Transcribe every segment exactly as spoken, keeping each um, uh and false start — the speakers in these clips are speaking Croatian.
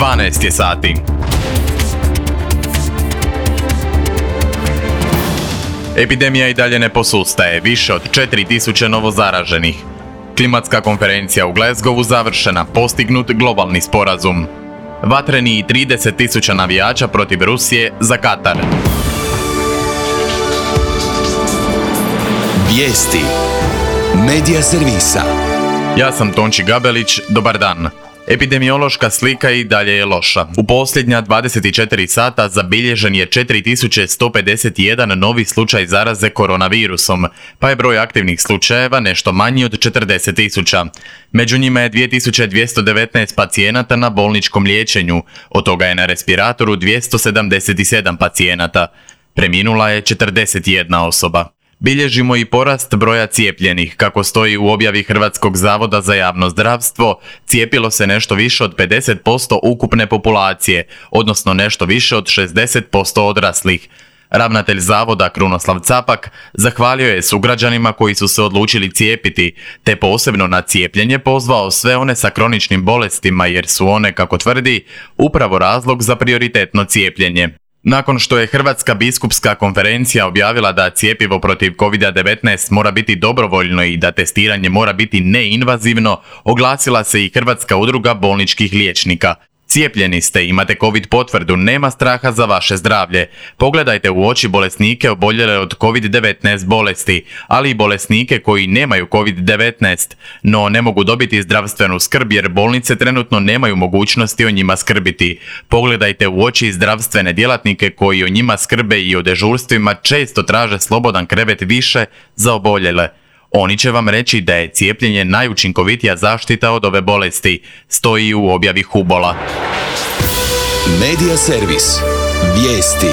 dvanaest je sati. Epidemija i dalje ne posustaje, više od četiri tisuće novozaraženih. Klimatska konferencija u Glasgowu završena, postignut globalni sporazum. Vatreni i trideset tisuća navijača protiv Rusije za Katar. Vijesti Medija servisa. Ja sam Tonči Gabelić, dobar dan. Epidemiološka slika i dalje je loša. U posljednja dvadeset četiri sata zabilježen je četiri tisuće sto pedeset jedan novi slučaj zaraze koronavirusom, pa je broj aktivnih slučajeva nešto manji od četrdeset tisuća. Među njima je dvije tisuće dvjesto devetnaest pacijenata na bolničkom liječenju, od toga je na respiratoru dvjesto sedamdeset sedam pacijenata. Preminula je četrdeset jedna osoba. Bilježimo i porast broja cijepljenih. Kako stoji u objavi Hrvatskog zavoda za javno zdravstvo, cijepilo se nešto više od pedeset posto ukupne populacije, odnosno nešto više od šezdeset posto odraslih. Ravnatelj zavoda Krunoslav Capak zahvalio je sugrađanima koji su se odlučili cijepiti, te posebno na cijepljenje pozvao sve one sa kroničnim bolestima jer su one, kako tvrdi, upravo razlog za prioritetno cijepljenje. Nakon što je Hrvatska biskupska konferencija objavila da cjepivo protiv kovid devetnaest mora biti dobrovoljno i da testiranje mora biti neinvazivno, oglasila se i Hrvatska udruga bolničkih liječnika. Cijepljeni ste, imate covid potvrdu, nema straha za vaše zdravlje. Pogledajte u oči bolesnike oboljele od kovid devetnaest bolesti, ali i bolesnike koji nemaju kovid devetnaest, no ne mogu dobiti zdravstvenu skrb jer bolnice trenutno nemaju mogućnosti o njima skrbiti. Pogledajte u oči zdravstvene djelatnike koji o njima skrbe i o dežurstvima često traže slobodan krevet više za oboljele. Oni će vam reći da je cijepljenje najučinkovitija zaštita od ove bolesti, stoji u objavi Hubola. Medija servis. Vijesti.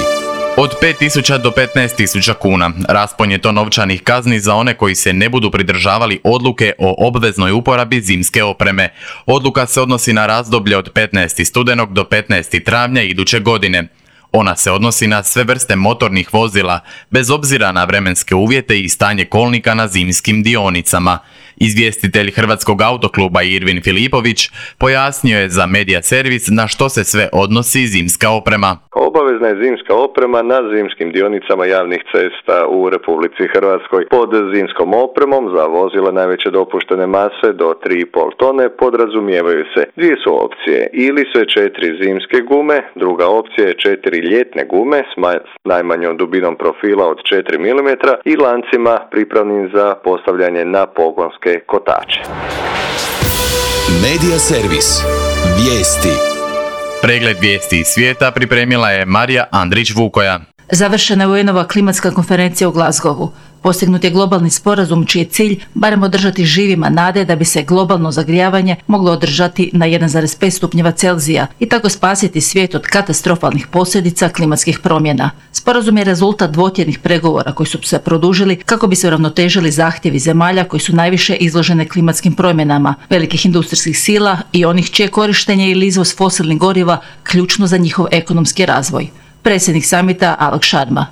Od pet tisuća do petnaest tisuća kuna. Raspon je to novčanih kazni za one koji se ne budu pridržavali odluke o obveznoj uporabi zimske opreme. Odluka se odnosi na razdoblje od petnaestog studenog do petnaestog travnja iduće godine. Ona se odnosi na sve vrste motornih vozila, bez obzira na vremenske uvjete i stanje kolnika na zimskim dionicama. Izvjestitelj Hrvatskog autokluba Irvin Filipović pojasnio je za Medija servis na što se sve odnosi zimska oprema. Obavezna je zimska oprema na zimskim dionicama javnih cesta u Republici Hrvatskoj. Pod zimskom opremom za vozila najveće dopuštene mase do tri i pol tone podrazumijevaju se dvije su opcije. Ili sve četiri zimske gume, druga opcija je četiri ljetne gume s najmanjom dubinom profila od četiri milimetra i lancima pripravnim za postavljanje na pogonske kotače. Medija servis. Vijesti. Pregled vijesti iz svijeta pripremila je Marija Andrić-Vukoja. Završena je U N-ova klimatska konferencija u Glasgowu. Postignut je globalni sporazum čiji je cilj barem održati živima nade da bi se globalno zagrijavanje moglo održati na jedan zarez pet stupnjeva Celzija i tako spasiti svijet od katastrofalnih posljedica klimatskih promjena. Sporazum je rezultat dvotjednih pregovora koji su se produžili kako bi se uravnotežili zahtjevi zemalja koji su najviše izložene klimatskim promjenama, velikih industrijskih sila i onih čije korištenje ili izvoz fosilnih goriva ključno za njihov ekonomski razvoj. Predsjednik samita Alok Sharma.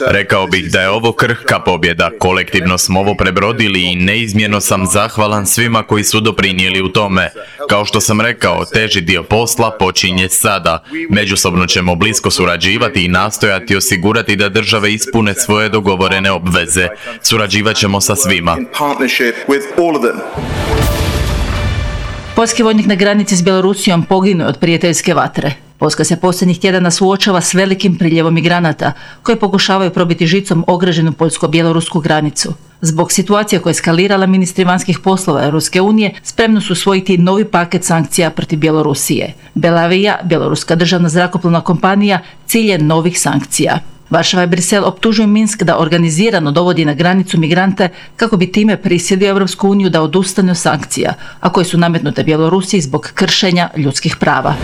Rekao bih da je ovo krhka pobjeda. Kolektivno smo ovo prebrodili i neizmjerno sam zahvalan svima koji su doprinijeli u tome. Kao što sam rekao, teži dio posla počinje sada. Međusobno ćemo blisko surađivati i nastojati osigurati da države ispune svoje dogovorene obveze. Surađivat ćemo sa svima. Poljski vojnik na granici s Bjelorusijom poginuo od prijateljske vatre. Poljska se posljednjih tjedana suočava s velikim priljevom migranata koji pokušavaju probiti žicom ograđenu poljsko-bjelorusku granicu. Zbog situacije koja je eskalirala, ministri vanjskih poslova Europske unije spremno su usvojiti novi paket sankcija protiv Bjelorusije. Belavija, bjeloruska državna zrakoplovna kompanija, cilj je novih sankcija. Varšava i Brisel optužuju Minsk da organizirano dovodi na granicu migrante kako bi time prisilio Europsku uniju da odustane od sankcija, a koje su nametnute Bjelorusiji zbog kršenja ljudskih prava.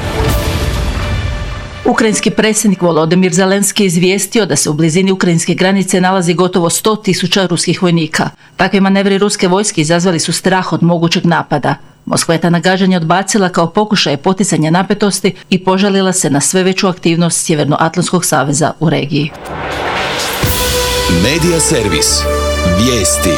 Ukrajinski predsjednik Volodymyr Zelenski izvijestio da se u blizini ukrajinske granice nalazi gotovo sto tisuća ruskih vojnika. Takvi manevri ruske vojske izazvali su strah od mogućeg napada. Moskva je ta nagađanja odbacila kao pokušaj poticanja napetosti i požalila se na sve veću aktivnost Sjevernoatlantskog saveza u regiji. Medija servis. Vijesti.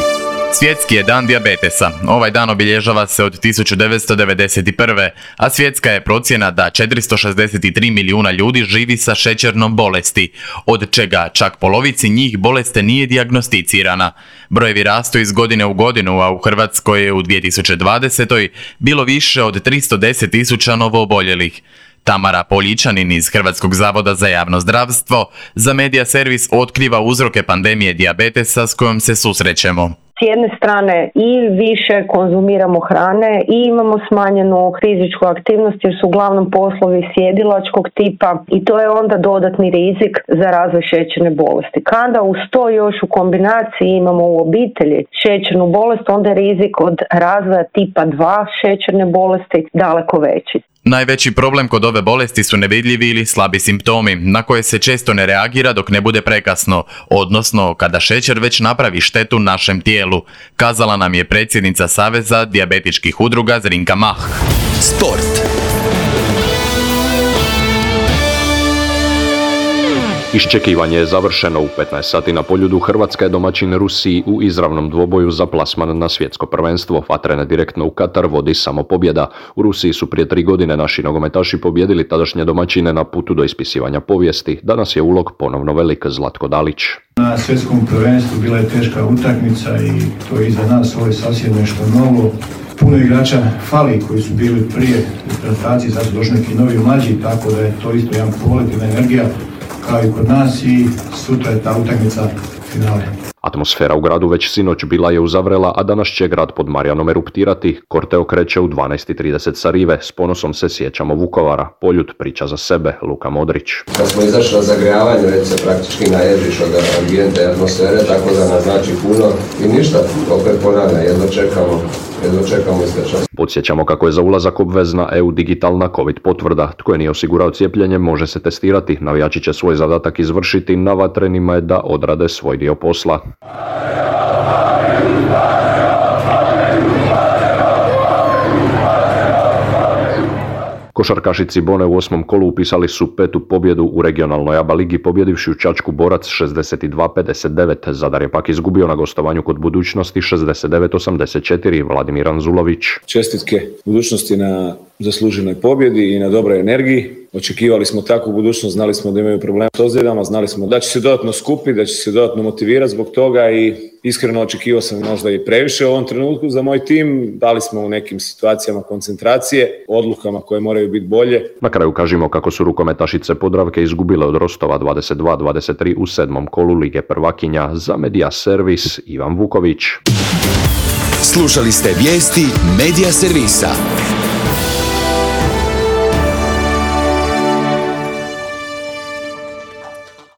Svjetski je dan dijabetesa. Ovaj dan obilježava se od tisuću devetsto devedeset prve. a svjetska je procjena da četiristo šezdeset tri milijuna ljudi živi sa šećernom bolesti, od čega čak polovici njih bolest nije dijagnosticirana. Brojevi rastu iz godine u godinu, a u Hrvatskoj je u dvije tisuće dvadesetoj bilo više od tristo deset tisuća novooboljelih. Tamara Poljičanin iz Hrvatskog zavoda za javno zdravstvo za Media Servis otkriva uzroke pandemije dijabetesa s kojom se susrećemo. S jedne strane i više konzumiramo hrane i imamo smanjenu fizičku aktivnost jer su uglavnom poslovi sjedilačkog tipa i to je onda dodatni rizik za razvoj šećerne bolesti. Kada uz to još u kombinaciji imamo u obitelji šećernu bolest, onda je rizik od razvoja tipa dva šećerne bolesti daleko veći. Najveći problem kod ove bolesti su nevidljivi ili slabi simptomi, na koje se često ne reagira dok ne bude prekasno, odnosno kada šećer već napravi štetu našem tijelu, kazala nam je predsjednica Saveza dijabetičkih udruga Zrinka Mah. Sport. Iščekivanje je završeno. U petnaest sati na Poljudu Hrvatska je domaćin Rusiji u izravnom dvoboju za plasman na svjetsko prvenstvo. Vatrena direktno u Katar vodi samo pobjeda. U Rusiji su prije tri godine naši nogometaši pobjedili tadašnje domaćine na putu do ispisivanja povijesti. Danas je ulog ponovno velik. Zlatko Dalić. Na svjetskom prvenstvu bila je teška utakmica i to je iza nas, ovo je sasvim nešto novo. Puno igrača fali koji su bili prije reprezentacije, sad su došli neki novi mlađi, tako da je to isto jedan pozitivna energija kao i kod nas i sutra je ta utakmica finale. Atmosfera u gradu već sinoć bila je uzavrela, a danas će grad pod Marijanom eruptirati. Korteo kreće u dvanaest i trideset sa rive. S ponosom se sjećamo Vukovara. Poljud priča za sebe. Luka Modrić. Kad smo izašli na zagrijavanje, već se praktički naježiš od ambijente i atmosfere, tako da nam znači puno. I ništa, opet ponavlja, jedno čekamo. Jedno čekamo iskača. Podsjećamo kako je za ulazak obvezna E U digitalna COVID potvrda. Tko je nije osigurao cijepljenje može se testirati. Navijači će svoj zadatak izvršiti, na Vatrenima je da odrade svoj dio posla. Košarkaši Cibone u osmom kolu upisali su petu pobjedu u regionalnoj A B A ligi pobjedivši u Čačku Borac šezdeset dva pedeset devet. Zadar je pak izgubio na gostovanju kod Budućnosti šezdeset devet osamdeset četiri. Vladimir Anzulović. Čestitke Budućnosti na zasluženoj pobjedi i na dobroj energiji. Očekivali smo takvu budućnost, znali smo da imaju problema s ozljedama, znali smo da će se dodatno skupiti, da će se dodatno motivirati zbog toga i iskreno očekivao sam možda i previše u ovom trenutku za moj tim. Dali smo u nekim situacijama koncentracije, odlukama koje moraju biti bolje. Na kraju kažemo kako su rukometašice Podravke izgubile od Rostova dvadeset dva dvadeset tri u sedmom kolu Lige prvakinja. Za Media Servis Ivan Vuković. Slušali ste vijesti Media Servisa.